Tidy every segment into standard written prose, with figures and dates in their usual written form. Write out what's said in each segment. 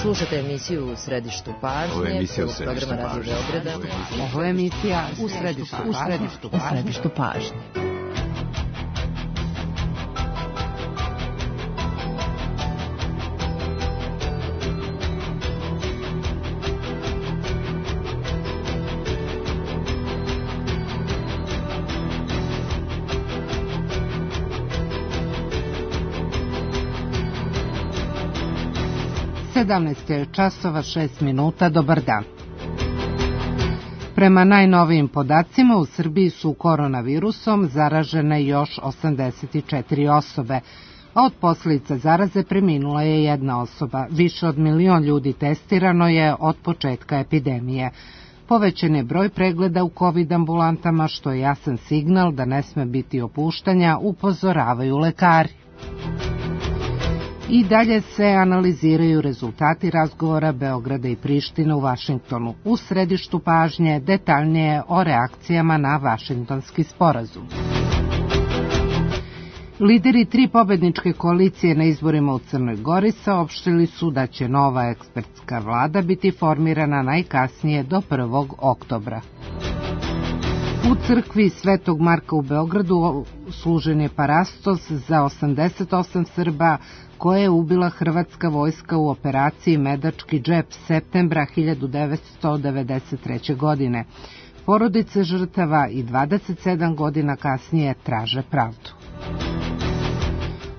Slušate emisiju U središtu pažnje, programa Radio Beograda. Ovo je emisija U središtu pažnje. Časova 6 minuta, dobar dan. Prema najnovijim podacima u Srbiji su koronavirusom zaražene još 84 osobe, a od posljedica zaraze preminula je jedna osoba. Više od 1 milion ljudi testirano je od početka epidemije. Povećan je broj pregleda u COVID ambulantama, što je jasan signal da ne sme biti opuštanja, upozoravaju lekari. I dalje se analiziraju rezultati razgovora Beograda i Prištine u Vašingtonu. U središtu pažnje detaljnije o reakcijama na Vašingtonski sporazum. Lideri 3 pobedničke koalicije na izborima u Crnoj Gori saopštili su da će nova ekspertska vlada biti formirana najkasnije do 1. oktobra. U crkvi Svetog Marka u Beogradu služen je parastos za 88 Srba koje je ubila hrvatska vojska u operaciji Medački džep septembra 1993. godine. Porodice žrtava i 27 godina kasnije traže pravdu.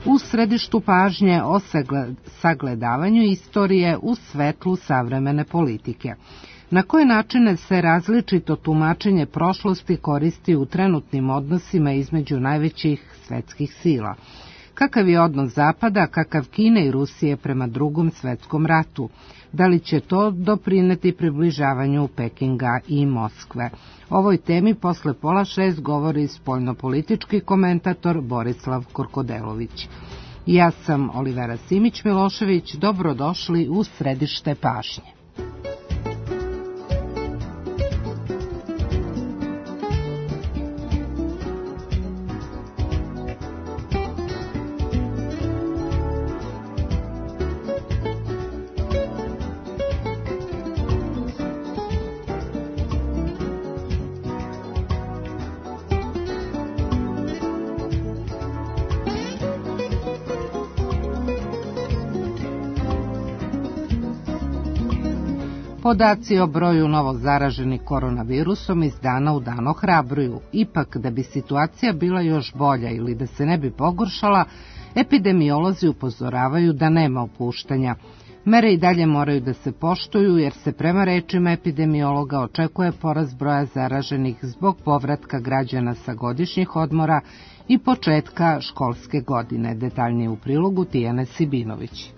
U središtu pažnje o sagledavanju istorije u svetlu savremene politike. Na koje načine se različito tumačenje prošlosti koristi u trenutnim odnosima između najvećih svetskih sila? Kakav je odnos Zapada, kakav Kine i Rusije prema Drugom svetskom ratu? Da li će to doprineti približavanju Pekinga i Moskve? Ovoj temi posle 5:30 govori spoljnopolitički komentator Borislav Korkodelović. Ja sam Olivera Simić-Milošević, dobrodošli u središte pažnje. Podaci o broju novo zaraženih koronavirusom iz dana u dan ohrabruju. Ipak, da bi situacija bila još bolja ili da se ne bi pogoršala, epidemiolozi upozoravaju da nema opuštanja. Mere i dalje moraju da se poštuju jer se prema rečima epidemiologa očekuje porast broja zaraženih zbog povratka građana sa godišnjih odmora i početka školske godine. Detaljnije u prilogu Tijane Sibinović.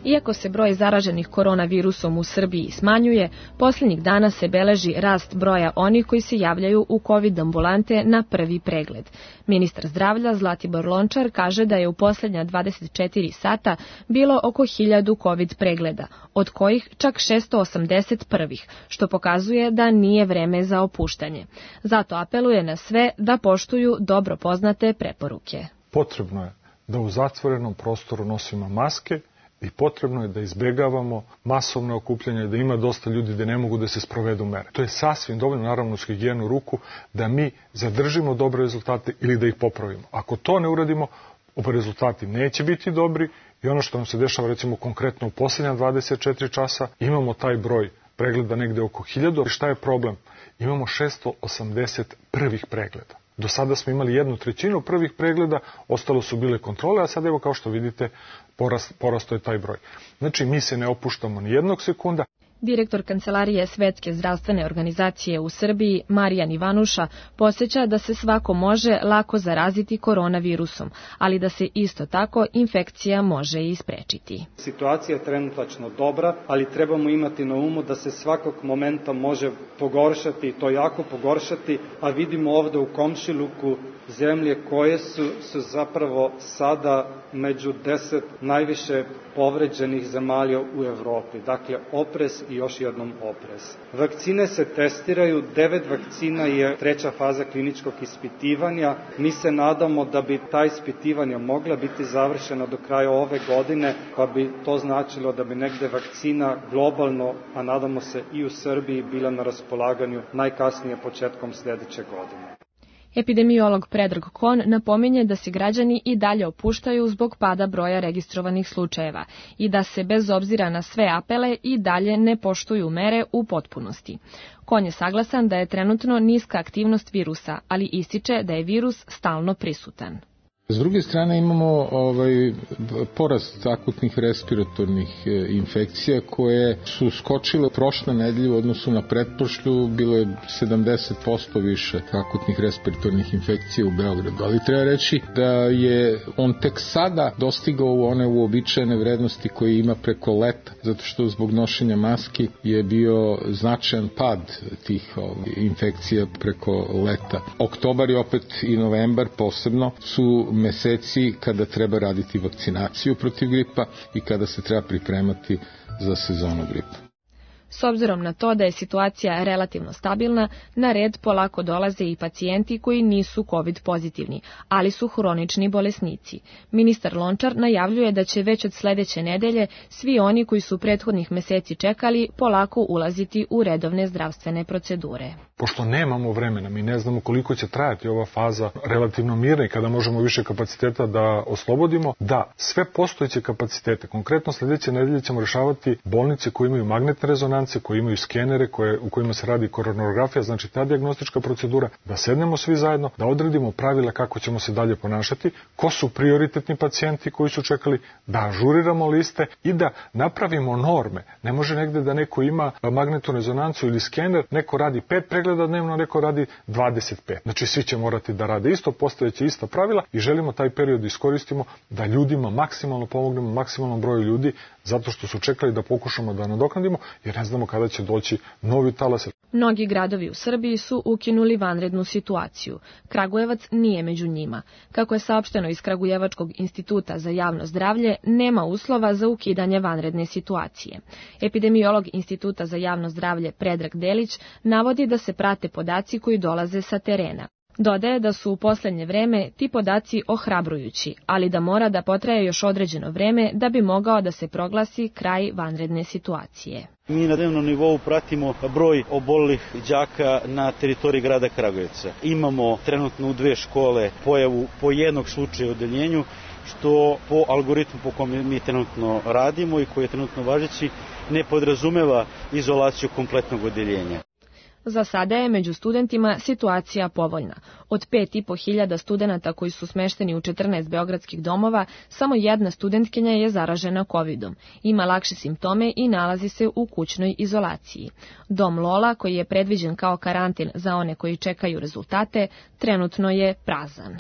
Iako se broj zaraženih koronavirusom u Srbiji smanjuje, posljednjih dana se beleži rast broja onih koji se javljaju u COVID ambulante na prvi pregled. Ministar zdravlja Zlatibor Lončar kaže da je u posljednja 24 sata bilo oko 1000 COVID pregleda, od kojih čak 680 prvih, što pokazuje da nije vreme za opuštanje. Zato apeluje na sve da poštuju dobro poznate preporuke. Potrebno je da u zatvorenom prostoru nosimo maske, i potrebno je da izbjegavamo masovne okupljanja, da ima dosta ljudi da ne mogu da se sprovedu mere. To je sasvim dovoljno, naravno, uz higijenu ruku, da mi zadržimo dobre rezultate ili da ih popravimo. Ako to ne uradimo, rezultati neće biti dobri i ono što nam se dešava, recimo konkretno u posljednja 24 časa, imamo taj broj pregleda negde oko 1000. Šta je problem? Imamo 680 prvih pregleda. Do sada smo imali 1/3 prvih pregleda, ostalo su bile kontrole, a sad evo kao što vidite porastao je taj broj. Znači mi se ne opuštamo ni jednog sekunda. Direktor Kancelarije Svetske zdravstvene organizacije u Srbiji, Marijan Ivanuša, podsjeća da se svako može lako zaraziti koronavirusom, ali da se isto tako infekcija može i sprečiti. Situacija je trenutačno dobra, ali trebamo imati na umu da se svakog momenta može pogoršati i to jako pogoršati, a vidimo ovde u komšiluku zemlje koje su zapravo sada među 10 najviše povređenih zemalja u Evropi. Dakle, oprez i još jednom oprez. Vakcine se testiraju, 9 vakcina je treća faza kliničkog ispitivanja. Mi se nadamo da bi ta ispitivanja mogla biti završena do kraja ove godine, pa bi to značilo da bi negde vakcina globalno, a nadamo se i u Srbiji, bila na raspolaganju najkasnije početkom sledeće godine. Epidemiolog Predrag Kon napominje da se građani i dalje opuštaju zbog pada broja registrovanih slučajeva i da se bez obzira na sve apele i dalje ne poštuju mere u potpunosti. Kon je saglasan da je trenutno niska aktivnost virusa, ali ističe da je virus stalno prisutan. S druge strane imamo porast akutnih respiratornih infekcija koje su skočile prošle nedelje u odnosu na pretprošlu, bilo je 70% više akutnih respiratornih infekcija u Beogradu. Ali treba reći da je on tek sada dostigao one uobičajene vrednosti koje ima preko leta, zato što zbog nošenja maski je bio značajan pad tih infekcija preko leta. Oktobar i opet i novembar posebno su meseci kada treba raditi vakcinaciju protiv gripa i kada se treba pripremati za sezonu gripa. S obzirom na to da je situacija relativno stabilna, na red polako dolaze i pacijenti koji nisu COVID pozitivni, ali su hronični bolesnici. Ministar Lončar najavljuje da će već od sledeće nedelje svi oni koji su prethodnih meseci čekali polako ulaziti u redovne zdravstvene procedure. Pošto nemamo vremena, mi ne znamo koliko će trajati ova faza relativno mirna i kada možemo više kapaciteta da oslobodimo, da sve postojeće kapacitete, konkretno sledeće nedelje ćemo rešavati bolnice koje imaju magnetne rezonance, koje imaju skenere, u kojima se radi koronografija, znači ta dijagnostička procedura, da sednemo svi zajedno, da odredimo pravila kako ćemo se dalje ponašati, ko su prioritetni pacijenti koji su čekali, da ažuriramo liste i da napravimo norme. Ne može negde da neko ima magnetnu rezonancu ili skener, neko radi 5 pregleda dnevno, neko radi 25. Znači svi će morati da rade isto, postojeće ista pravila i želimo taj period iskoristimo da ljudima maksimalno pomognemo, maksimalnom broju ljudi, zato što su čekali da pokušamo da nadoknadimo, jer ne znamo kada će doći novi talas. Mnogi gradovi u Srbiji su ukinuli vanrednu situaciju. Kragujevac nije među njima. Kako je saopšteno iz Kragujevačkog instituta za javno zdravlje, nema uslova za ukidanje vanredne situacije. Epidemiolog Instituta za javno zdravlje Predrag Delić navodi da se prate podaci koji dolaze sa terena. Dodaje da su u poslednje vreme ti podaci ohrabrujući, ali da mora da potraje još određeno vreme da bi mogao da se proglasi kraj vanredne situacije. Mi na dnevnom nivou pratimo broj obolelih đaka na teritoriji grada Kragujevca. Imamo trenutno u 2 škole pojavu po jednog slučaja u odeljenju, što po algoritmu po kome mi trenutno radimo i koji je trenutno važeći ne podrazumeva izolaciju kompletnog odeljenja. Za sada je među studentima situacija povoljna. Od 5.500 studenata koji su smešteni u 14 beogradskih domova, samo jedna studentkinja je zaražena COVID-om. Ima lakše simptome i nalazi se u kućnoj izolaciji. Dom Lola, koji je predviđen kao karantin za one koji čekaju rezultate, trenutno je prazan.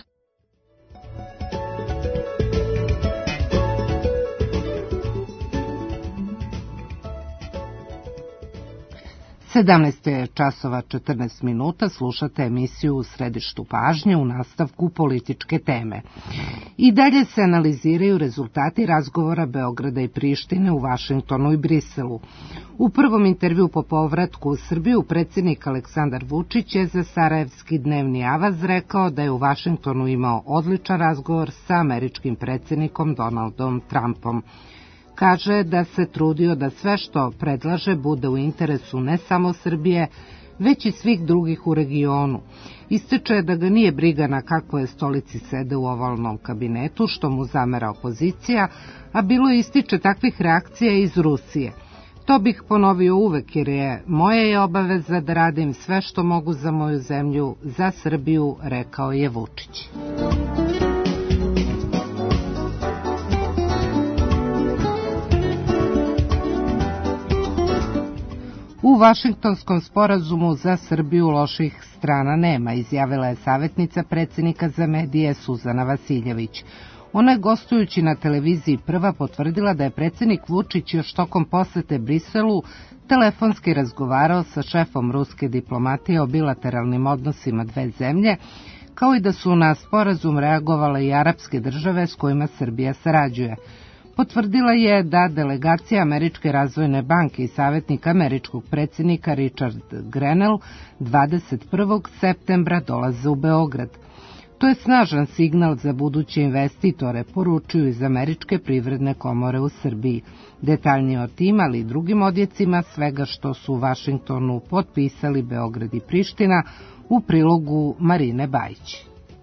17 je časova 14 minuta, slušate emisiju U središtu pažnje u nastavku političke teme. I dalje se analiziraju rezultati razgovora Beograda i Prištine u Vašingtonu i Briselu. U prvom intervju po povratku u Srbiju predsjednik Aleksandar Vučić je za Sarajevski dnevni avaz rekao da je u Vašingtonu imao odličan razgovor sa američkim predsjednikom Donaldom Trumpom. Kaže da se trudio da sve što predlaže bude u interesu ne samo Srbije, već i svih drugih u regionu. Ističe da ga nije briga na kakvoj stolici sede u ovalnom kabinetu, što mu zamera opozicija, a bilo ističe takvih reakcija iz Rusije. To bih ponovio uvek jer je moja obaveza da radim sve što mogu za moju zemlju, za Srbiju, rekao je Vučić. U Vašingtonskom sporazumu za Srbiju loših strana nema, izjavila je savjetnica predsjednika za medije Suzana Vasiljević. Ona je gostujući na televiziji Prva potvrdila da je predsjednik Vučić još tokom posete Briselu telefonski razgovarao sa šefom ruske diplomatije o bilateralnim odnosima dve zemlje, kao i da su na sporazum reagovale i arapske države s kojima Srbija sarađuje. Potvrdila je da delegacija Američke razvojne banke i savjetnik američkog predsjednika Richard Grenell 21. septembra dolaze u Beograd. To je snažan signal za buduće investitore, poručuju iz Američke privredne komore u Srbiji. Detaljnije o tim, ali i drugim odjecima svega što su u Vašingtonu potpisali Beograd i Priština u prilogu Marine Bajić.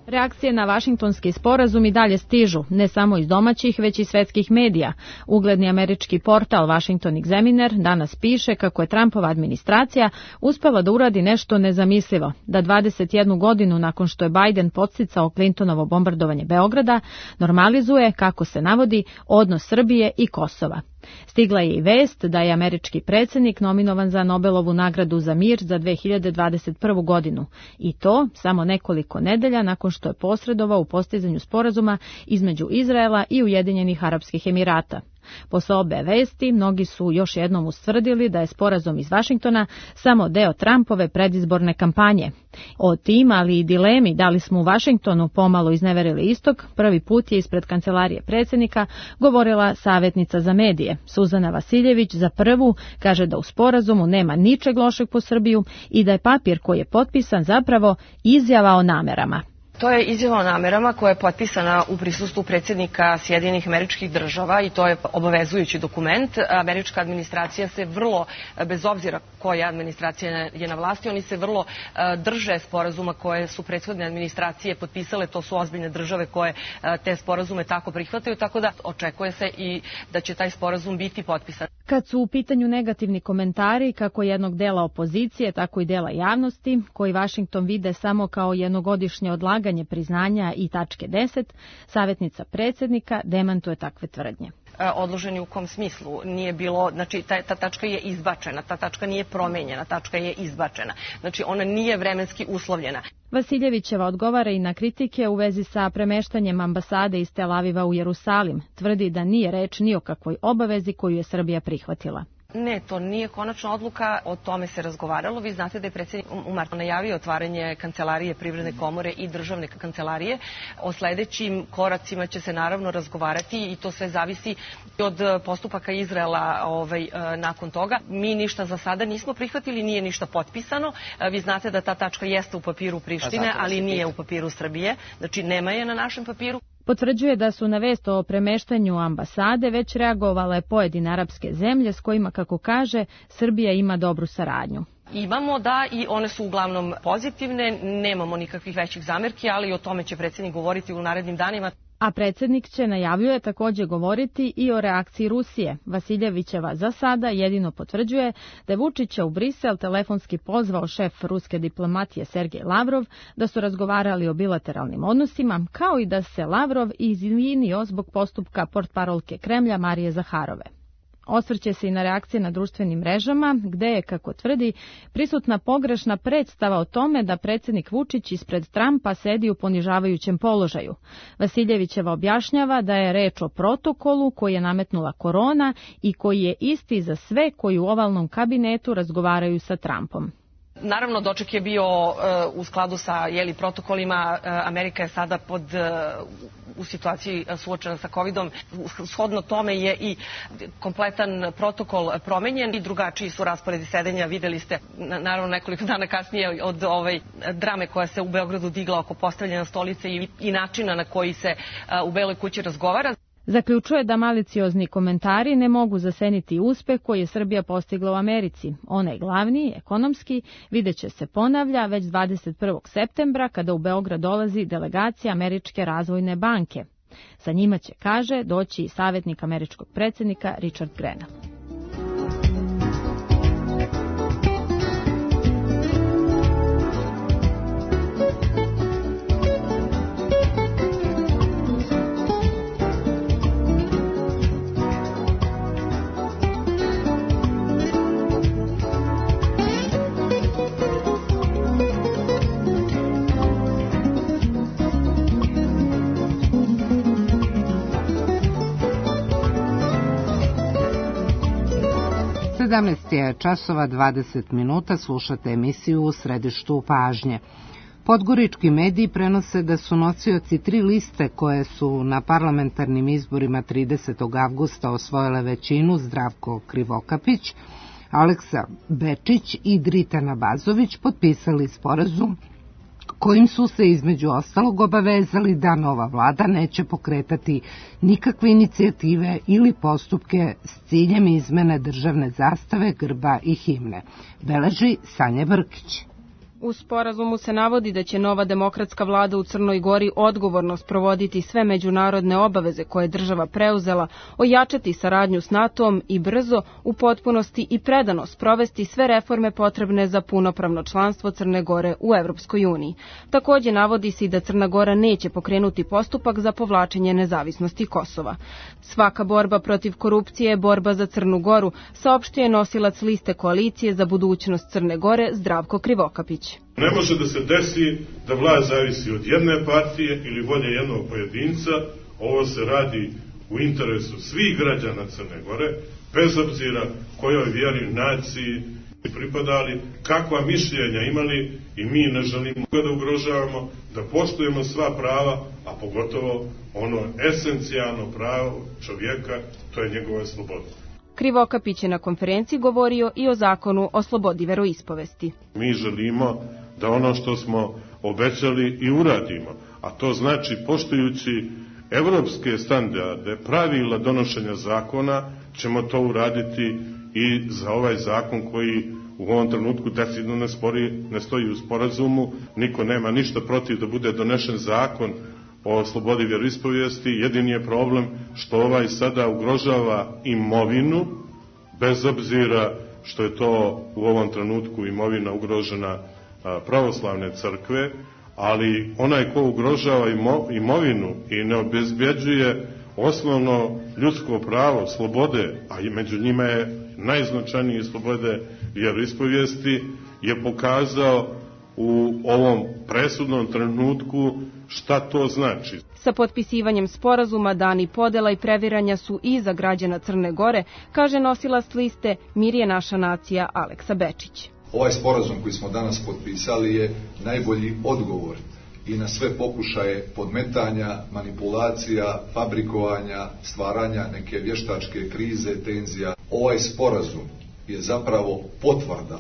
Reakcije na Vašingtonski sporazum i dalje stižu, ne samo iz domaćih, već i svetskih medija. Ugledni američki portal Washington Examiner danas piše kako je Trumpova administracija uspela da uradi nešto nezamislivo, da 21 godinu nakon što je Biden podsticao Clintonovo bombardovanje Beograda, normalizuje, kako se navodi, odnos Srbije i Kosova. Stigla je i vest da je američki predsjednik nominovan za Nobelovu nagradu za mir za 2021. godinu i to samo nekoliko nedelja nakon što je posredovao u postizanju sporazuma između Izraela i Ujedinjenih Arapskih Emirata. Posle obe vesti, mnogi su još jednom ustvrdili da je sporazum iz Vašingtona samo deo Trumpove predizborne kampanje. O tim, ali i dilemi da li smo u Vašingtonu pomalo izneverili istok, prvi put je ispred kancelarije predsjednika govorila savjetnica za medije. Suzana Vasiljević za Prvu kaže da u sporazumu nema ničeg lošeg po Srbiju i da je papir koji je potpisan zapravo izjava o namerama. To je izjava o namerama koja je potpisana u prisustvu predsjednika Sjedinjenih Američkih Država i to je obavezujući dokument. Američka administracija se vrlo, bez obzira koja administracija je na vlasti, oni se vrlo drže sporazuma koje su prethodne administracije potpisale. To su ozbiljne države koje te sporazume tako prihvataju, tako da očekuje se i da će taj sporazum biti potpisan. Kad su u pitanju negativni komentari kako jednog dela opozicije, tako i dela javnosti, koji Vašington vide samo kao jednogodišnje odlaganje priznanja i tačke 10, savjetnica predsjednika demantuje takve tvrdnje. Odloženi u kom smislu? Nije bilo, znači ta tačka je izbačena, ta tačka nije promenjena, tačka je izbačena. Znači ona nije vremenski uslovljena. Vasiljevićeva odgovara i na kritike u vezi sa premeštanjem ambasade iz Tel Aviva u Jerusalim. Tvrdi da nije reč ni o kakvoj obavezi koju je Srbija prihvatila. Ne, to nije konačna odluka, o tome se razgovaralo. Vi znate da je predsjednik u martu najavio otvaranje kancelarije Privredne komore i državne kancelarije. O sledećim koracima će se naravno razgovarati i to sve zavisi od postupaka Izraela nakon toga. Mi ništa za sada nismo prihvatili, nije ništa potpisano. Vi znate da ta tačka jeste u papiru Prištine, ali nije u papiru Srbije. Znači nema je na našem papiru. Potvrđuje da su na vest o premeštanju ambasade već reagovale pojedine arapske zemlje s kojima, kako kaže, Srbija ima dobru saradnju. Imamo, da, i one su uglavnom pozitivne, nemamo nikakvih većih zamerki, ali o tome će predsjednik govoriti u narednim danima. A predsjednik će, najavljuje, također govoriti i o reakciji Rusije. Vasiljevićeva za sada jedino potvrđuje da je Vučića u Brisel telefonski pozvao šef ruske diplomatije Sergej Lavrov, da su razgovarali o bilateralnim odnosima, kao i da se Lavrov izvinio zbog postupka portparolke Kremlja Marije Zaharove. Osvrće se i na reakcije na društvenim mrežama, gde je, kako tvrdi, prisutna pogrešna predstava o tome da predsjednik Vučić ispred Trumpa sedi u ponižavajućem položaju. Vasiljevićeva objašnjava da je reč o protokolu koji je nametnula korona i koji je isti za sve koji u ovalnom kabinetu razgovaraju sa Trumpom. Naravno, doček je bio u skladu sa protokolima. Amerika je sada u situaciji suočena sa covidom. Shodno tome je i kompletan protokol promenjen i drugačiji su rasporedi sedenja. Videli ste, naravno, nekoliko dana kasnije od drame koja se u Beogradu digla oko postavljanja stolice i načina na koji se u Beloj kući razgovara. Zaključuje da maliciozni komentari ne mogu zaseniti uspeh koji je Srbija postigla u Americi. Onaj glavni, ekonomski, videće se ponavlja već 21. septembra kada u Beograd dolazi delegacija Američke razvojne banke. Sa njima će, kaže, doći i savjetnik američkog predsjednika Richard Grenell. Je časova 20 minuta, slušate emisiju U središtu pažnje. Podgorički mediji prenose da su nosioci 3 liste koje su na parlamentarnim izborima 30. avgusta osvojile većinu Zdravko Krivokapić, Aleksa Bečić i Dritana Bazović potpisali sporazum kojim su se između ostalog obavezali da nova vlada neće pokretati nikakve inicijative ili postupke s ciljem izmene državne zastave, grba i himne, beleži Sanja Brkić. U sporazumu se navodi da će nova demokratska vlada u Crnoj Gori odgovorno sprovoditi sve međunarodne obaveze koje je država preuzela, ojačati saradnju s NATO-om i brzo, u potpunosti i predano sprovesti sve reforme potrebne za punopravno članstvo Crne Gore u Evropskoj uniji. Takođe navodi se i da Crna Gora neće pokrenuti postupak za povlačenje nezavisnosti Kosova. Svaka borba protiv korupcije je borba za Crnu Goru, saopštio je nosilac liste koalicije za budućnost Crne Gore Zdravko Krivokapić. Ne može da se desi da vlast zavisi od jedne partije ili volje jednog pojedinca. Ovo se radi u interesu svih građana Crne Gore, bez obzira kojoj vjeri, naciji pripadali, kakva mišljenja imali, i mi ne želimo da ugrožavamo, da poštujemo sva prava, a pogotovo ono esencijalno pravo čovjeka, to je njegova sloboda. Krivokapić je na konferenciji govorio i o zakonu o slobodi veroispovesti. Mi želimo da ono što smo obećali i uradimo, a to znači poštujući evropske standarde, pravila donošenja zakona, ćemo to uraditi i za ovaj zakon koji u ovom trenutku decidno ne stoji u sporazumu. Niko nema ništa protiv da bude donešen zakon o slobodi vjeroispovijesti. Jedini je problem što ovaj sada ugrožava imovinu, bez obzira što je to u ovom trenutku imovina ugrožena pravoslavne crkve, ali onaj ko ugrožava imovinu i ne obezbjeđuje osnovno ljudsko pravo, slobode, a i među njima je najznačajnije slobode vjeroispovijesti, je pokazao u ovom presudnom trenutku šta to znači. Sa potpisivanjem sporazuma dani podela i previranja su i za građana Crne Gore, kaže nosilac liste Mir je naša nacija Aleksa Bečić. Ovaj sporazum koji smo danas potpisali je najbolji odgovor i na sve pokušaje podmetanja, manipulacija, fabrikovanja, stvaranja neke vještačke krize, tenzija. Ovaj sporazum je zapravo potvrda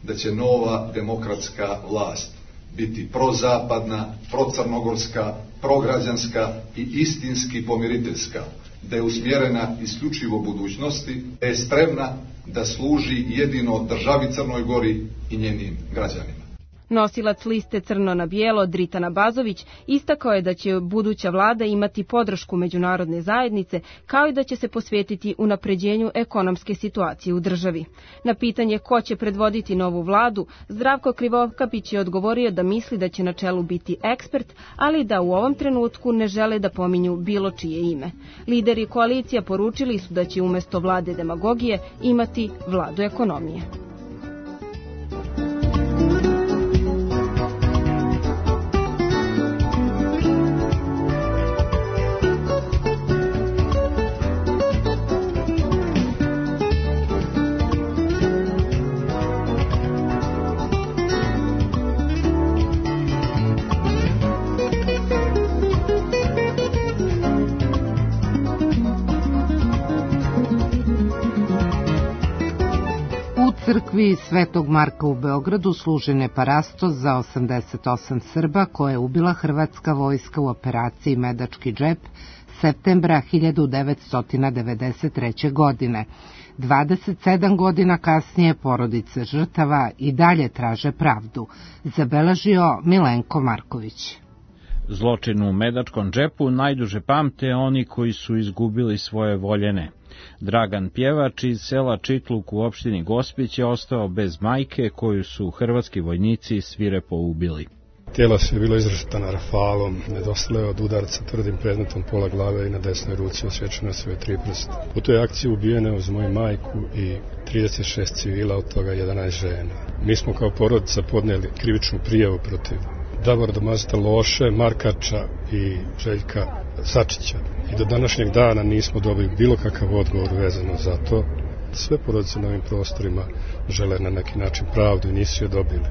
da će nova demokratska vlast biti prozapadna, procrnogorska, prograđanska i istinski pomiriteljska, da je usmjerena isključivo budućnosti, da je spremna da služi jedino državi Crnoj Gori i njenim građanima. Nosilac liste Crno na bijelo Dritana Bazović istakao je da će buduća vlada imati podršku međunarodne zajednice, kao i da će se posvetiti unapređenju ekonomske situacije u državi. Na pitanje ko će predvoditi novu vladu, Zdravko Krivokapić je odgovorio da misli da će na čelu biti ekspert, ali da u ovom trenutku ne žele da pominju bilo čije ime. Lideri koalicija poručili su da će umjesto vlade demagogije imati vladu ekonomije. Crkvi Svetog Marka u Beogradu služen je parastos za 88 Srba koje je ubila hrvatska vojska u operaciji Medački džep septembra 1993. godine. 27 godina kasnije porodice žrtava i dalje traže pravdu, zabeležio Milenko Marković. Zločin u Medačkom džepu najduže pamte oni koji su izgubili svoje voljene. Dragan Pjevač iz sela Čitluk u opštini Gospić je ostao bez majke koju su hrvatski vojnici svirepo ubili. Tijelo se je bilo izrastano rafalom, nedostalo je od udarca tvrdim predmetom pola glave i na desnoj ruci osječeno sve 3 prsta. U toj akciji ubijene uz moju majku i 36 civila, od toga 11 žena. Mi smo kao porodica podnijeli krivičnu prijavu protiv Davora Domazeta Loše, Markača i Željka Sačića. I do današnjeg dana nismo dobili bilo kakav odgovor vezano za to. Sve porodice na ovim prostorima žele na neki način pravdu i nisu je dobili.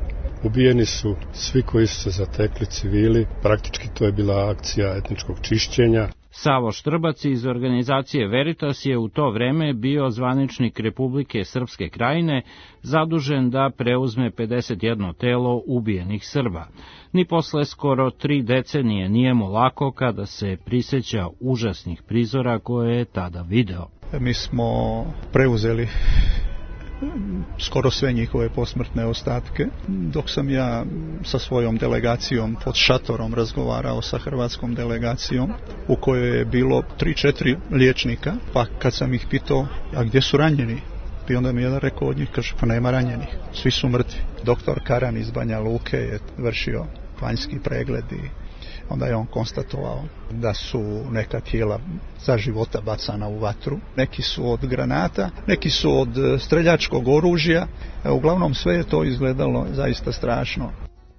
Ubijeni su svi koji su se zatekli, civili, praktički to je bila akcija etničkog čišćenja. Savo Štrbac iz organizacije Veritas je u to vreme bio zvaničnik Republike Srpske Krajine, zadužen da preuzme 51 telo ubijenih Srba. Ni posle skoro 3 decenije nije mu lako kada se prisjeća užasnih prizora koje je tada video. Mi smo preuzeli skoro sve njihove posmrtne ostatke. Dok sam ja sa svojom delegacijom pod šatorom razgovarao sa hrvatskom delegacijom u kojoj je bilo 3-4 liječnika, pa kad sam ih pitao, a gdje su ranjeni? I onda mi jedan rekao od njih, kaže, pa nema ranjenih, svi su mrtvi. Doktor Karan iz Banja Luke je vršio vanjski pregled i onda je on konstatovao da su neka tijela za života bacana u vatru. Neki su od granata, neki su od streljačkog oružja. Uglavnom sve je to izgledalo zaista strašno.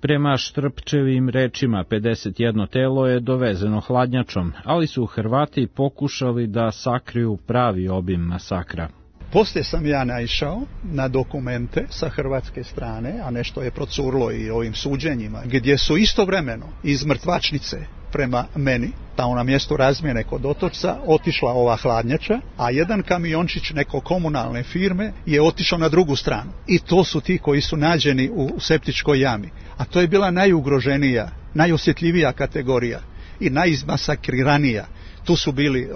Prema Štrpčevim rečima 51 telo je dovezeno hladnjačom, ali su Hrvati pokušali da sakriju pravi obim masakra. Poslije sam ja naišao na dokumente sa hrvatske strane, a nešto je procurlo i ovim suđenjima, gdje su istovremeno iz mrtvačnice prema meni, tamo na mjestu razmjene kod Otočca, otišla ova hladnjača, a jedan kamiončić neko komunalne firme je otišao na drugu stranu. I to su ti koji su nađeni u septičkoj jami. A to je bila najugroženija, najosjetljivija kategorija i najizmasakriranija. Tu su bili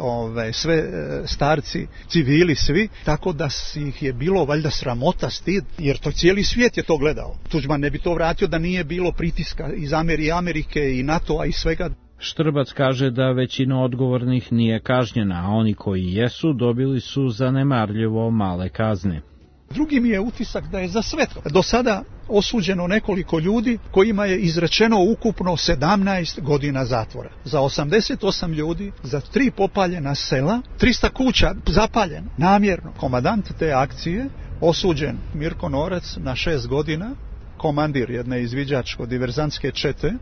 sve starci, civili svi, tako da ih je bilo valjda sramota, stid, jer to cijeli svijet je to gledao. Tuđman ne bi to vratio da nije bilo pritiska iz Amerike i NATO-a i svega. Štrbac kaže da većina odgovornih nije kažnjena, a oni koji jesu dobili su zanemarljivo male kazne. Drugi mi je utisak da je za sve do sada osuđeno nekoliko ljudi kojima je izrečeno ukupno 17 godina zatvora. Za 88 ljudi, za 3 popaljena sela, 300 kuća zapaljeno, namjerno. Komandant te akcije, osuđen Mirko Norac na 6 godina, komandir jedne izviđačko-diverzantske čete,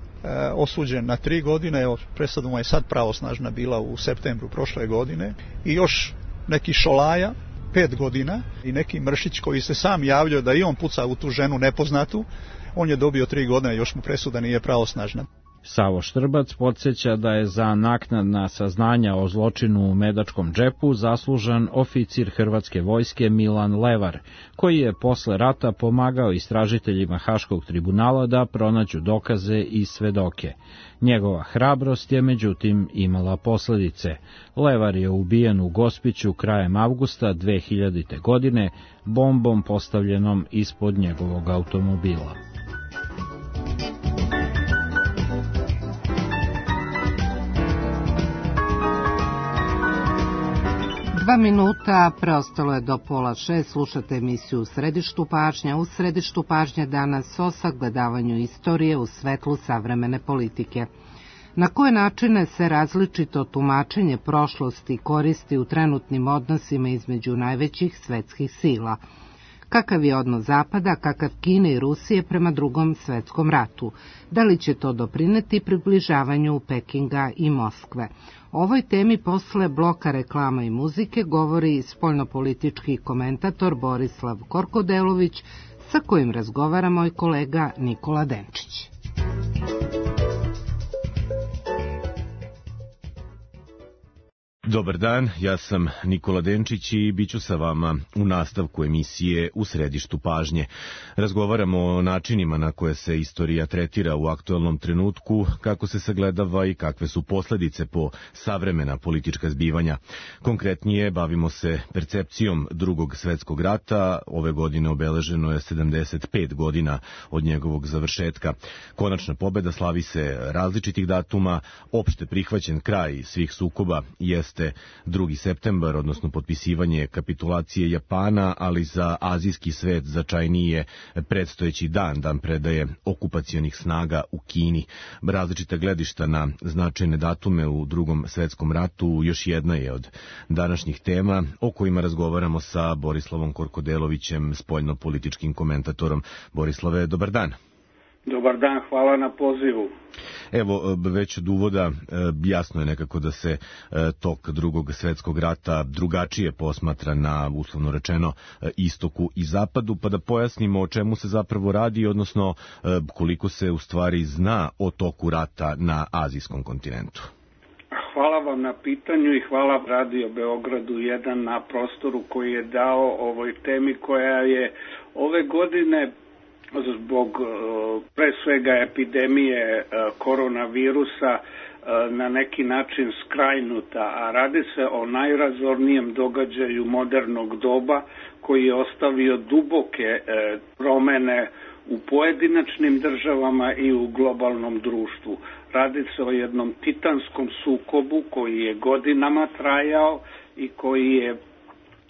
osuđen na 3 godine, evo, presuda mu je sad pravosnažna bila u septembru prošle godine, i još neki Šolaja, 5 godina, i neki Mršić koji se sam javljao da i on puca u tu ženu nepoznatu, on je dobio 3 godine, još mu presuda nije pravosnažna. Savo Štrbac podsjeća da je za naknadna saznanja o zločinu u Medačkom džepu zaslužan oficir Hrvatske vojske Milan Levar, koji je posle rata pomagao istražiteljima Haškog tribunala da pronađu dokaze i svedoke. Njegova hrabrost je međutim imala posledice. Levar je ubijen u Gospiću krajem avgusta 2000. godine bombom postavljenom ispod njegovog automobila. Dva minuta preostalo je do 5:30. Slušate emisiju U središtu pažnje. U središtu pažnje danas o sagledavanju istorije u svetlu savremene politike. Na koje načine se različito tumačenje prošlosti koristi u trenutnim odnosima između najvećih svetskih sila? Kakav je odnos Zapada, kakav Kine i Rusije prema Drugom svetskom ratu? Da li će to doprineti približavanju Pekinga i Moskve? O ovoj temi posle bloka reklama i muzike govori spoljnopolitički komentator Borislav Korkodelović, sa kojim razgovara moj kolega Nikola Denčić. Dobar dan, ja sam Nikola Denčić i bit ću sa vama u nastavku emisije U središtu pažnje. Razgovaramo o načinima na koje se istorija tretira u aktuelnom trenutku, kako se sagledava i kakve su posledice po savremena politička zbivanja. Konkretnije, bavimo se percepcijom Drugog svetskog rata. Ove godine obeleženo je 75 godina od njegovog završetka. Konačna pobeda slavi se različitih datuma, opšte prihvaćen kraj svih sukoba jeste 2. septembar, odnosno potpisivanje kapitulacije Japana, ali za azijski svet značajniji je predstojeći dan predaje okupacionih snaga u Kini. Različita gledišta na značajne datume u Drugom svetskom ratu još jedna je od današnjih tema o kojima razgovaramo sa Borislavom Korkodelovićem, spoljnopolitičkim komentatorom. Borislave, dobar dan. Dobar dan, hvala na pozivu. Evo, već od uvoda jasno je nekako da se tok Drugog svetskog rata drugačije posmatra na, uslovno rečeno, istoku i zapadu, pa da pojasnimo o čemu se zapravo radi, odnosno koliko se u stvari zna o toku rata na azijskom kontinentu. Hvala vam na pitanju i hvala Radio Beogradu 1 na prostoru koji je dao ovoj temi koja je ove godine zbog pre svega epidemije koronavirusa na neki način skrajnuta, a radi se o najrazornijem događaju modernog doba koji je ostavio duboke promene u pojedinačnim državama i u globalnom društvu. Radi se o jednom titanskom sukobu koji je godinama trajao i koji je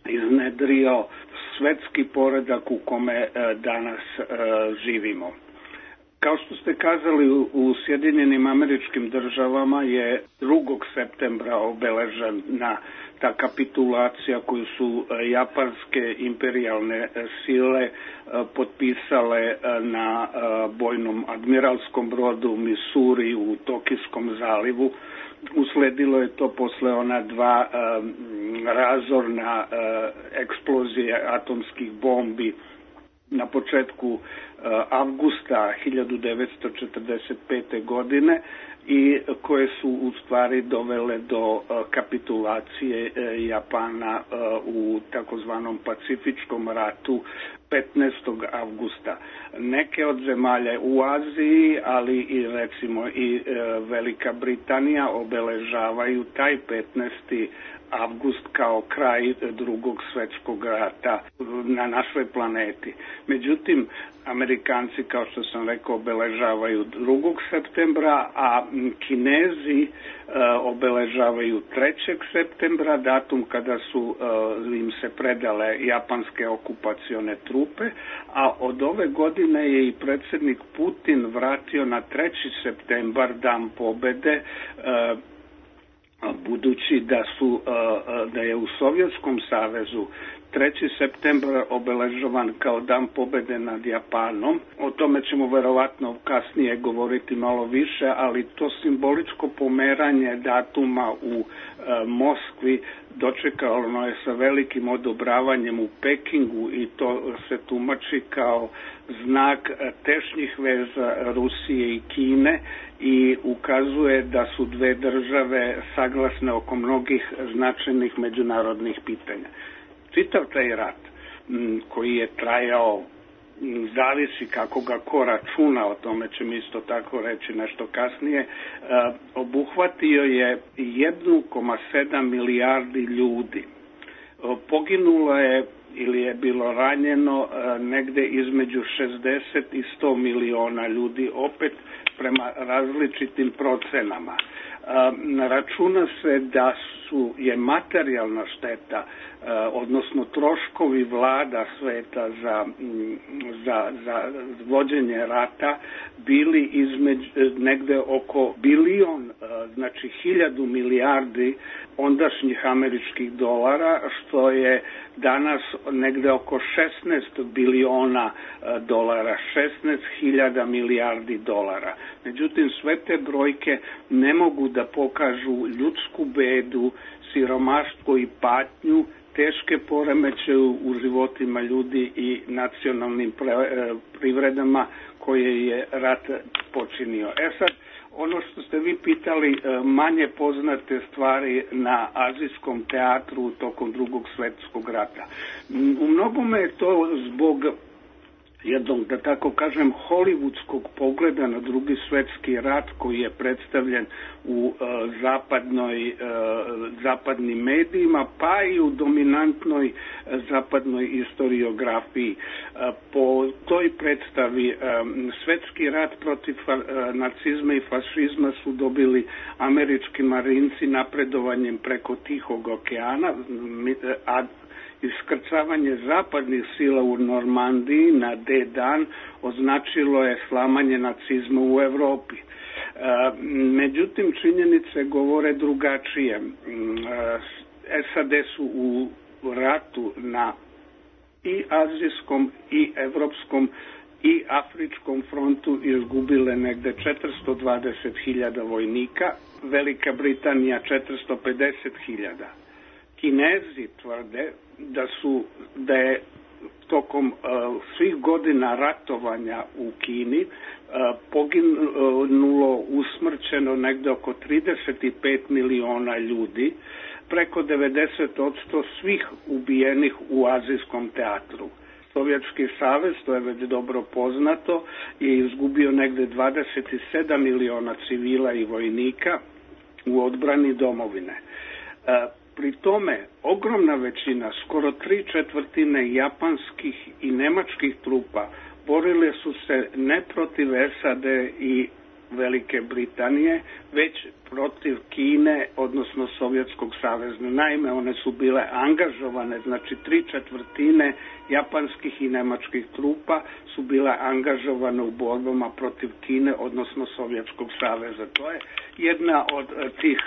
iznedrio svetski poredak u kome danas živimo. Kao što ste kazali, u Sjedinjenim Američkim Državama je 2. septembra obeležena ta kapitulacija koju su japanske imperijalne sile potpisale na bojnom admiralskom brodu Missouri u Tokijskom zalivu. Usledilo je to posle ona dva razorna eksplozije atomskih bombi na početku avgusta 1945. godine i koje su u stvari dovele do kapitulacije Japana u takozvanom Pacifičkom ratu 15. avgusta. Neke od zemalja u Aziji, ali i recimo i Velika Britanija obeležavaju taj 15. avgust kao kraj Drugog svetskog rata na našoj planeti. Međutim, Amerikanci, kao što sam rekao, obeležavaju 2. septembra, a Kinezi obeležavaju 3. septembra, datum kada su im se predale japanske okupacione trupe, a od ove godine je i predsjednik Putin vratio na 3. septembar, dan pobede, budući da je u Sovjetskom savezu 3. septembar obeležavan kao dan pobede nad Japanom. O tome ćemo verovatno kasnije govoriti malo više, ali to simboličko pomeranje datuma u Moskvi dočekalo je sa velikim odobravanjem u Pekingu i to se tumači kao znak tešnjih veza Rusije i Kine i ukazuje da su dve države saglasne oko mnogih značajnih međunarodnih pitanja. Čitav taj rat koji je trajao, zavisi kako ga ko računa, o tome ćemo isto tako reći nešto kasnije, obuhvatio je 1,7 milijardi ljudi. Poginulo je ili je bilo ranjeno negde između 60 i 100 miliona ljudi, opet prema različitim procenama. Računa se da je materijalna šteta, odnosno troškovi vlada sveta za vođenje rata bili negde oko bilion, znači 1000 milijardi ondašnjih američkih dolara, što je danas negde oko 16 biliona dolara, 16.000 milijardi dolara. Međutim, sve te brojke ne mogu da pokažu ljudsku bedu, siromaštvo i patnju, teške poremećaje u životima ljudi i nacionalnim privredama koje je rat počinio. Sad, ono što ste vi pitali, manje poznate stvari na azijskom teatru tokom Drugog svetskog rata. U mnogome je to zbog jednog, da tako kažem, hollywoodskog pogleda na Drugi svetski rat koji je predstavljen u zapadnim medijima, pa i u dominantnoj zapadnoj historiografiji. Po toj predstavi svetski rat protiv nacizma i fašizma su dobili američki marinci napredovanjem preko Tihog okeana, a iskrcavanje zapadnih sila u Normandiji na D dan označilo je slamanje nacizma u Evropi. Međutim, činjenice govore drugačije. SAD su u ratu na i azijskom i evropskom i Afričkom frontu izgubile negde 420.000 vojnika, Velika Britanija 450.000. Kinezi tvrde da je tokom svih godina ratovanja u Kini poginulo, usmrćeno negde oko 35 miliona ljudi, preko 90% svih ubijenih u Azijskom teatru. Sovjetski savez, to je već dobro poznato, je izgubio negde 27 miliona civila i vojnika u odbrani domovine. Pri tome, ogromna većina, skoro 3/4 japanskih i nemačkih trupa borile su se ne protiv SAD i Velike Britanije, već protiv Kine, odnosno Sovjetskog saveza. Naime, one su bile angažovane, znači 3/4 japanskih i nemačkih trupa su bile angažovane u borbama protiv Kine, odnosno Sovjetskog saveza. To je jedna od tih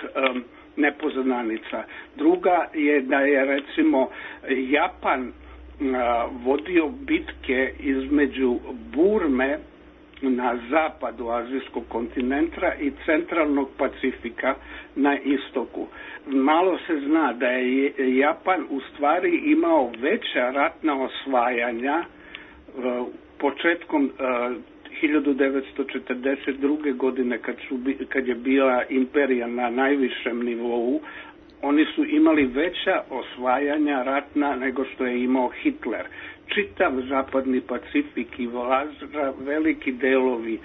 nepoznanica. Druga je da je recimo Japan vodio bitke između Burme na zapadu azijskog kontinenta i centralnog Pacifika na istoku. Malo se zna da je Japan u stvari imao veća ratna osvajanja početkom 1942. godine kad je bila imperija na najvišem nivou. Oni su imali veća osvajanja ratna nego što je imao Hitler. Čitav zapadni Pacifik i veliki delovi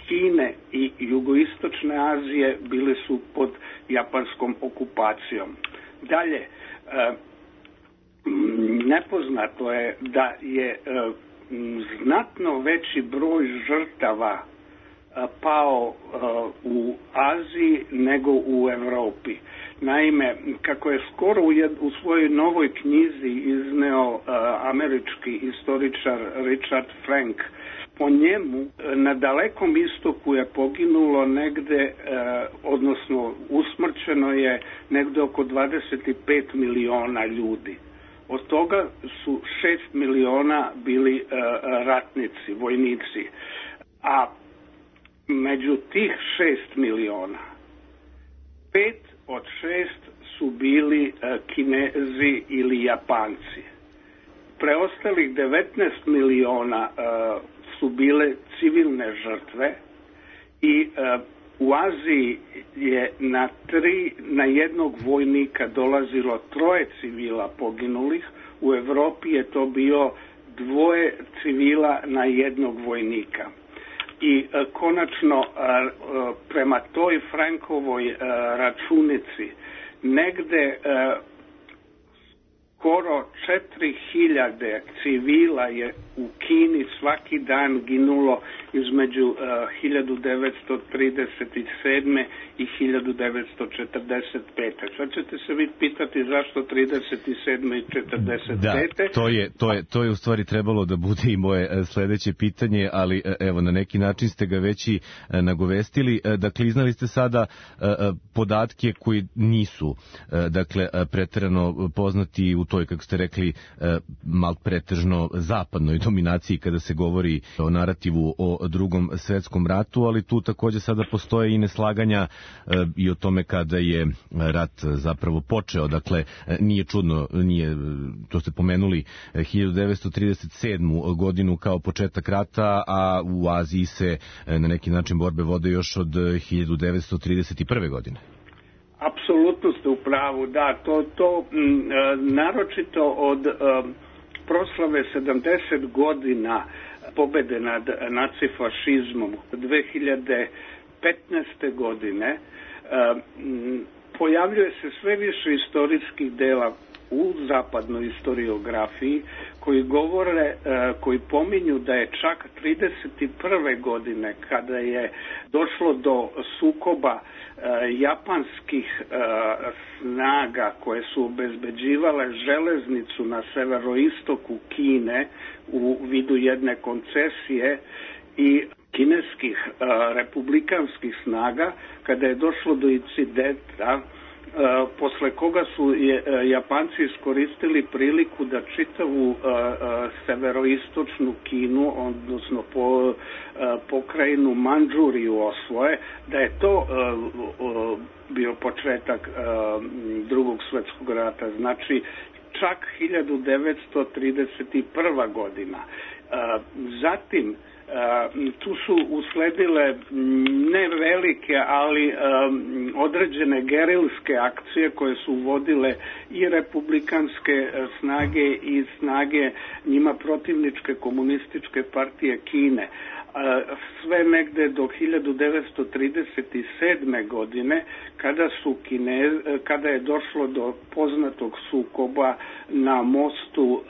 Kine i jugoistočne Azije bili su pod japanskom okupacijom. Dalje, nepoznato je da je znatno veći broj žrtava pao u Aziji nego u Evropi. Naime, kako je skoro u svojoj novoj knjizi izneo američki istoričar Richard Frank, po njemu na Dalekom istoku je poginulo negde, odnosno usmrćeno je negde oko 25 miliona ljudi. Od toga su 6 miliona bili ratnici, vojnici. A među tih 6 miliona, 5 od 6 su bili Kinezi ili Japanci. Preostalih 19 miliona su bile civilne žrtve i u Aziji je na jednog vojnika dolazilo 3 civila poginulih, u Evropi je to bio 2 civila na jednog vojnika. I konačno, prema toj Frankovoj računici, negde skoro 4.000 civila je u Kini svaki dan ginulo između 1937. i 1945. Sad ćete se vi pitati zašto 37. i 45. Da, to je u stvari trebalo da bude i moje sledeće pitanje, ali evo, na neki način ste ga već i nagovestili. Dakle, iznali ste sada podatke koji nisu, dakle, preterano poznati u toj, kako ste rekli, pretežno zapadnoj dominaciji kada se govori o narativu o Drugom svetskom ratu, ali tu takođe sada postoje i neslaganja i o tome kada je rat zapravo počeo. Dakle, nije čudno, to ste pomenuli, 1937. godinu kao početak rata, a u Aziji se na neki način borbe vode još od 1931. godine. Apsolutno ste u pravu, da, to naročito od proslave 70 godina pobede nad nacifašizmom 2015. godine pojavljuje se sve više istorijskih dela u zapadnoj historiografiji koji pominju da je čak 31. godine, kada je došlo do sukoba japanskih snaga koje su obezbeđivale železnicu na severoistoku Kine u vidu jedne koncesije i kineskih republikanskih snaga, kada je došlo do incidenta posle koga su Japanci iskoristili priliku da čitavu severoistočnu Kinu, odnosno pokrajinu Mandžuriju osvoje, da je to bio početak Drugog svetskog rata, znači čak 1931. godina. Zatim tu su usledile ne velike, ali određene gerilske akcije koje su vodile i republikanske snage i snage njima protivničke komunističke partije Kine. Sve negde do 1937. godine kada je došlo do poznatog sukoba na mostu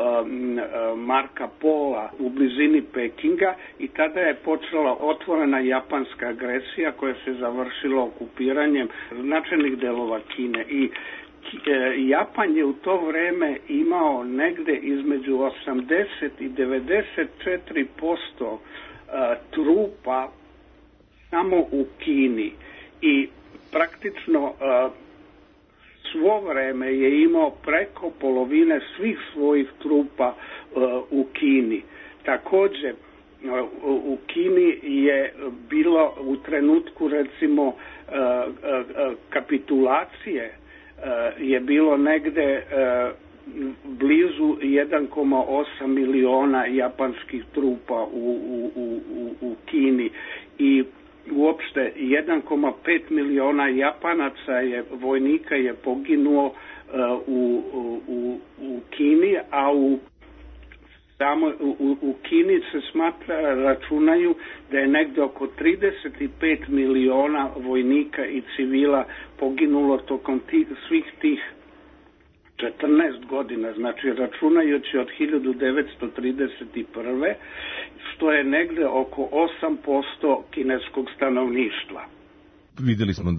Marka Pola u blizini Pekinga i tada je počela otvorena japanska agresija koja se završila okupiranjem značajnih delova Kine i Japan je u to vreme imao negde između 80 i 94% trupa samo u Kini i praktično svo vreme je imao preko polovine svih svojih trupa u Kini. Takođe, u Kini je bilo u trenutku recimo kapitulacije je bilo negde blizu 1,8 miliona japanskih trupa u Kini i uopšte 1,5 miliona Japanaca vojnika je poginuo u Kini, a u Kini se računaju da je negde oko 35 miliona vojnika i civila poginulo tokom svih tih 14 godina, znači računajući od 1931. što je negde oko 8% kineskog stanovništva. Videli smo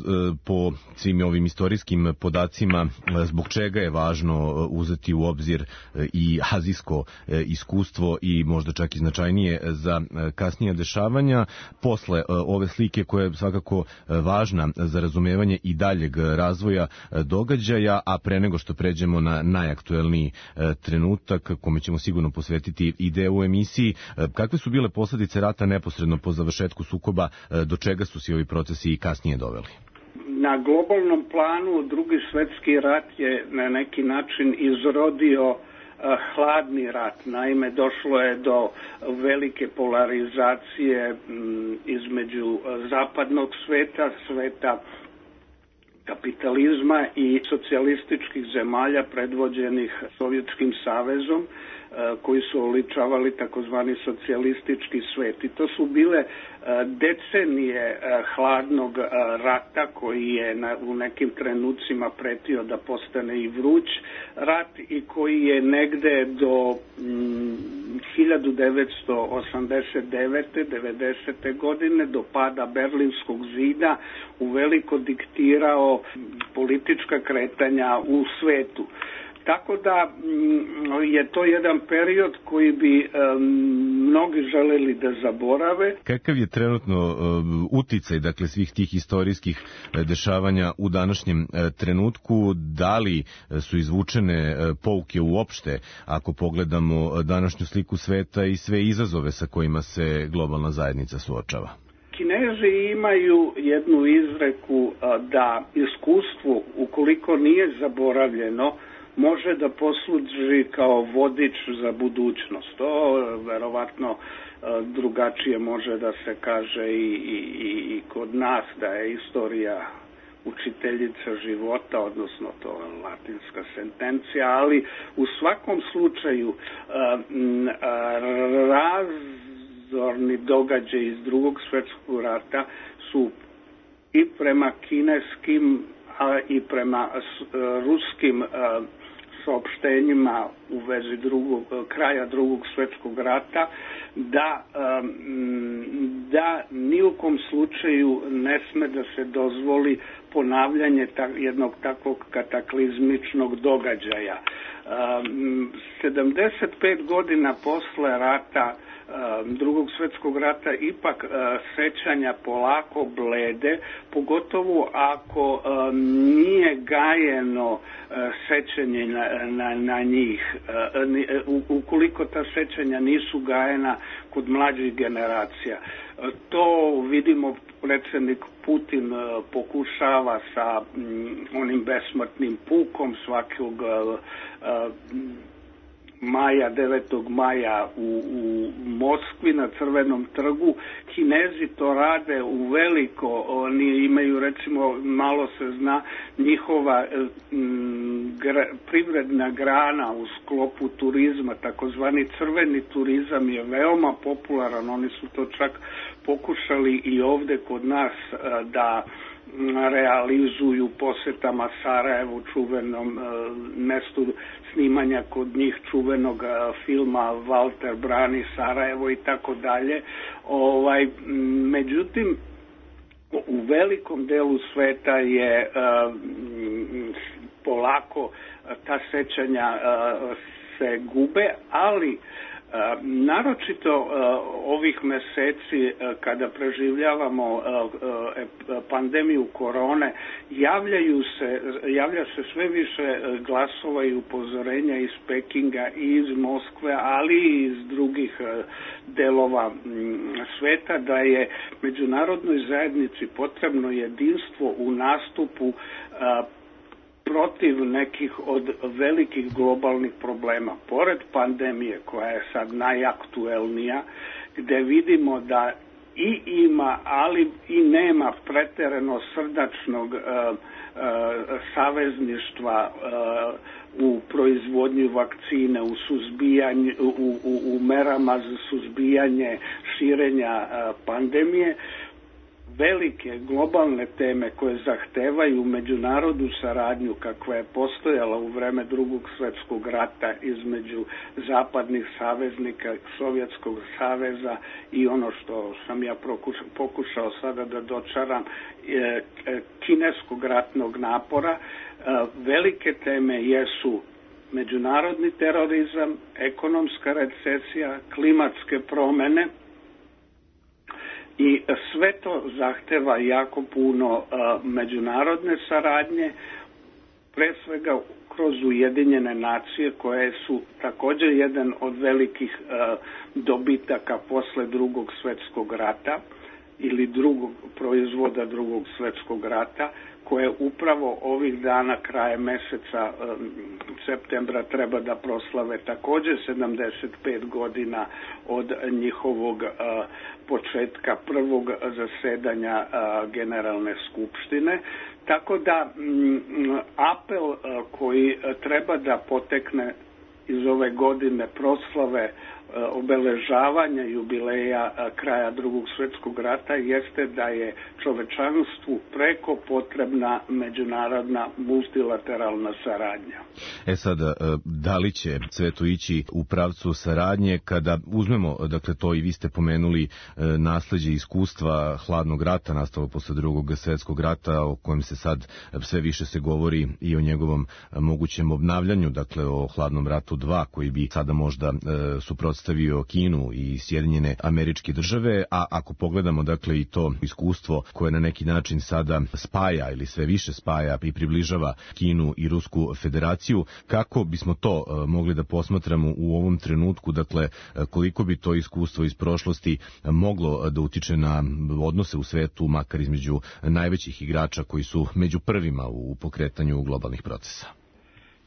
po svim ovim istorijskim podacima zbog čega je važno uzeti u obzir i azijsko iskustvo i možda čak i značajnije za kasnija dešavanja. Posle ove slike koja je svakako važna za razumevanje i daljeg razvoja događaja, a pre nego što pređemo na najaktuelniji trenutak kome ćemo sigurno posvetiti i deo u emisiji, kakve su bile posledice rata neposredno po završetku sukoba, do čega su se ovi procesi i kasnije doveli? Na globalnom planu Drugi svetski rat je na neki način izrodio hladni rat. Naime, došlo je do velike polarizacije između zapadnog sveta, sveta kapitalizma i socijalističkih zemalja predvođenih Sovjetskim savezom, koji su oličavali takozvani socijalistički svet. I to su bile decenije hladnog rata koji je u nekim trenucima pretio da postane i vruć rat i koji je negde do 1989. 90. godine do pada Berlinskog zida uveliko diktirao politička kretanja u svetu. Tako da je to jedan period koji bi mnogi želeli da zaborave. Kakav je trenutno uticaj, dakle, svih tih istorijskih dešavanja u današnjem trenutku? Da li su izvučene pouke uopšte, ako pogledamo današnju sliku sveta i sve izazove sa kojima se globalna zajednica suočava? Kinezi imaju jednu izreku da iskustvo, ukoliko nije zaboravljeno, može da posluži kao vodič za budućnost. To verovatno drugačije može da se kaže i kod nas, da je istorija učiteljica života, odnosno to je latinska sentencija, ali u svakom slučaju razorni događaji iz Drugog svetskog rata su i prema kineskim, a i prema ruskim saopštenjima u vezi kraja Drugog svetskog rata da ni u kom slučaju ne sme da se dozvoli ponavljanje jednog takvog kataklizmičnog događaja. 75 godina posle rata, Drugog svjetskog rata, ipak sećanja polako blede, pogotovo ako nije gajeno sećanje na njih, ukoliko ta sećanja nisu gajena kod mlađih generacija. To vidimo, predsjednik Putin pokušava sa onim besmrtnim pukom svakog maja, 9. maja u Moskvi na Crvenom trgu. Kinezi to rade u veliko, oni imaju, recimo, malo se zna, njihova privredna grana u sklopu turizma, takozvani crveni turizam je veoma popularan, oni su to čak pokušali i ovde kod nas da realizuju posetama Sarajevu, čuvenom mestu snimanja kod njih čuvenog filma Walter brani Sarajevo i tako dalje. Međutim, u velikom delu sveta je polako ta sećanja se gube, ali naročito ovih meseci kada preživljavamo pandemiju korone, javlja se sve više glasova i upozorenja iz Pekinga i iz Moskve, ali i iz drugih delova sveta, da je međunarodnoj zajednici potrebno jedinstvo u nastupu protiv nekih od velikih globalnih problema. Pored pandemije, koja je sad najaktuelnija, gde vidimo da i ima, ali i nema preterano srdačnog savezništva u proizvodnji vakcine, u suzbijanju, u merama za suzbijanje širenja pandemije. Velike globalne teme koje zahtevaju međunarodnu saradnju kakva je postojala u vreme Drugog svjetskog rata između zapadnih saveznika, Sovjetskog saveza i ono što sam ja pokušao sada da dočaram, kineskog ratnog napora. Velike teme jesu međunarodni terorizam, ekonomska recesija, klimatske promjene, i sve to zahteva jako puno međunarodne saradnje, pre svega kroz Ujedinjene nacije, koje su također jedan od velikih dobitaka posle Drugog svjetskog rata ili drugog proizvoda Drugog svjetskog rata, koje upravo ovih dana, kraje meseca septembra, treba da proslave također 75 godina od njihovog početka prvog zasedanja Generalne skupštine. Tako da apel koji treba da potekne iz ove godine proslave obeležavanja jubileja kraja Drugog svjetskog rata jeste da je čovečanstvu preko potrebna međunarodna multilateralna saradnja. Sad, da li će svetu ići u pravcu saradnje kada uzmemo, dakle to i vi ste pomenuli, nasleđe iskustva hladnog rata nastalo posle Drugog svjetskog rata, o kojem se sad sve više se govori i o njegovom mogućem obnavljanju, dakle o hladnom ratu 2 koji bi sada možda suprotstavio Kinu i Sjedinjene Američke Države, a ako pogledamo dakle i to iskustvo koje na neki način sada spaja ili sve više spaja i približava Kinu i Rusku federaciju, kako bismo to mogli da posmatramo u ovom trenutku, dakle koliko bi to iskustvo iz prošlosti moglo da utiče na odnose u svetu, makar između najvećih igrača koji su među prvima u pokretanju globalnih procesa?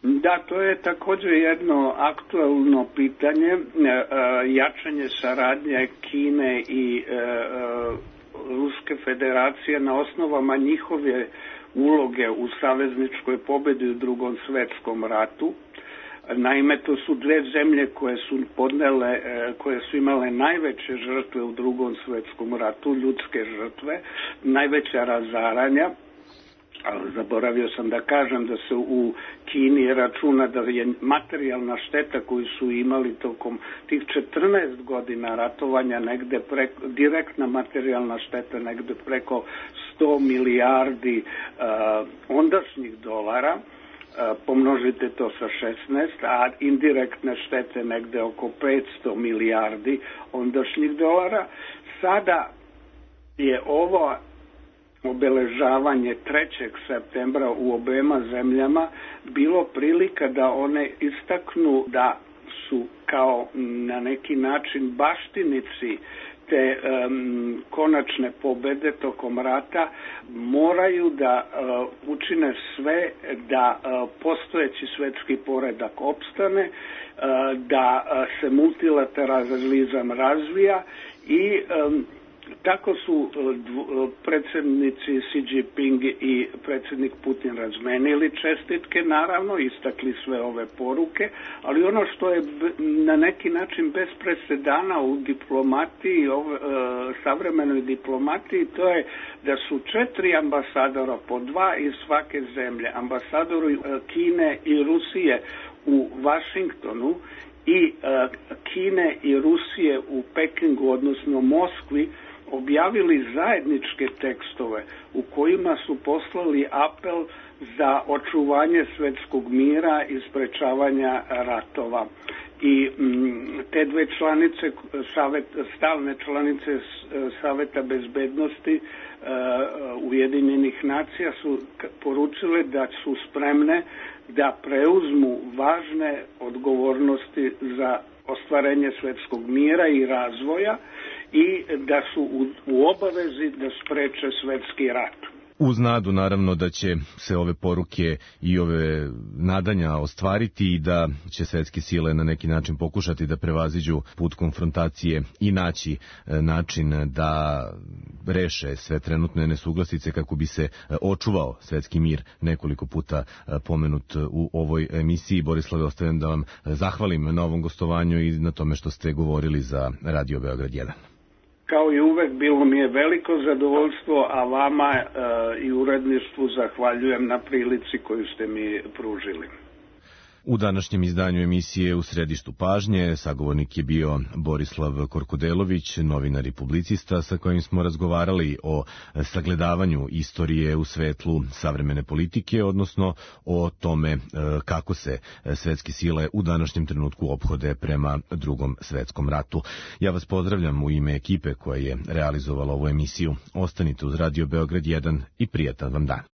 Da, to je također jedno aktuelno pitanje, jačanje saradnje Kine i Ruske federacije na osnovama njihove uloge u savezničkoj pobedi u Drugom svjetskom ratu. Naime, to su dve zemlje koje su imale najveće žrtve u Drugom svjetskom ratu, ljudske žrtve, najveća razaranja. Zaboravio sam da kažem da se u Kini računa da je materijalna šteta koju su imali tokom tih 14 godina ratovanja negde direktna materijalna šteta negde preko 100 milijardi ondašnjih dolara. pomnožite to sa 16, a indirektne štete negde oko 500 milijardi ondašnjih dolara. Sada je ovo obeležavanje 3. septembra u obema zemljama bilo prilika da one istaknu da su kao na neki način baštinici te konačne pobede tokom rata, moraju da učine sve da postojeći svetski poredak opstane, da se multilateralizam razvija i tako su predsjednici Xi Jinping i predsjednik Putin razmenili čestitke, naravno, istakli sve ove poruke, ali ono što je na neki način bez presedana u diplomatiji, savremenoj diplomatiji, to je da su 4 ambasadora, po 2 iz svake zemlje, ambasadori Kine i Rusije u Vašingtonu i Kine i Rusije u Pekingu, odnosno Moskvi, objavili zajedničke tekstove u kojima su poslali apel za očuvanje svetskog mira i sprečavanja ratova. I te dve članice, stalne članice Saveta bezbednosti Ujedinjenih nacija su poručile da su spremne da preuzmu važne odgovornosti za ostvarenje svetskog mira i razvoja i da su u obavezi da spreče svetski rat. Uz nadu naravno da će se ove poruke i ove nadanja ostvariti i da će svetske sile na neki način pokušati da prevaziđu put konfrontacije i naći način da reše sve trenutne nesuglasice kako bi se očuvao svetski mir, nekoliko puta pomenut u ovoj emisiji. Borislave, ostavljam da vam zahvalim na ovom gostovanju i na tome što ste govorili za Radio Beograd 1. Kao i uvek, bilo mi je veliko zadovoljstvo, a vama i uredništvu zahvaljujem na prilici koju ste mi pružili. U današnjem izdanju emisije U središtu pažnje sagovornik je bio Borislav Korkudelović, novinar i publicista sa kojim smo razgovarali o sagledavanju istorije u svetlu savremene politike, odnosno o tome kako se svetske sile u današnjem trenutku ophode prema Drugom svetskom ratu. Ja vas pozdravljam u ime ekipe koja je realizovala ovu emisiju. Ostanite uz Radio Beograd 1 i prijatan vam dan.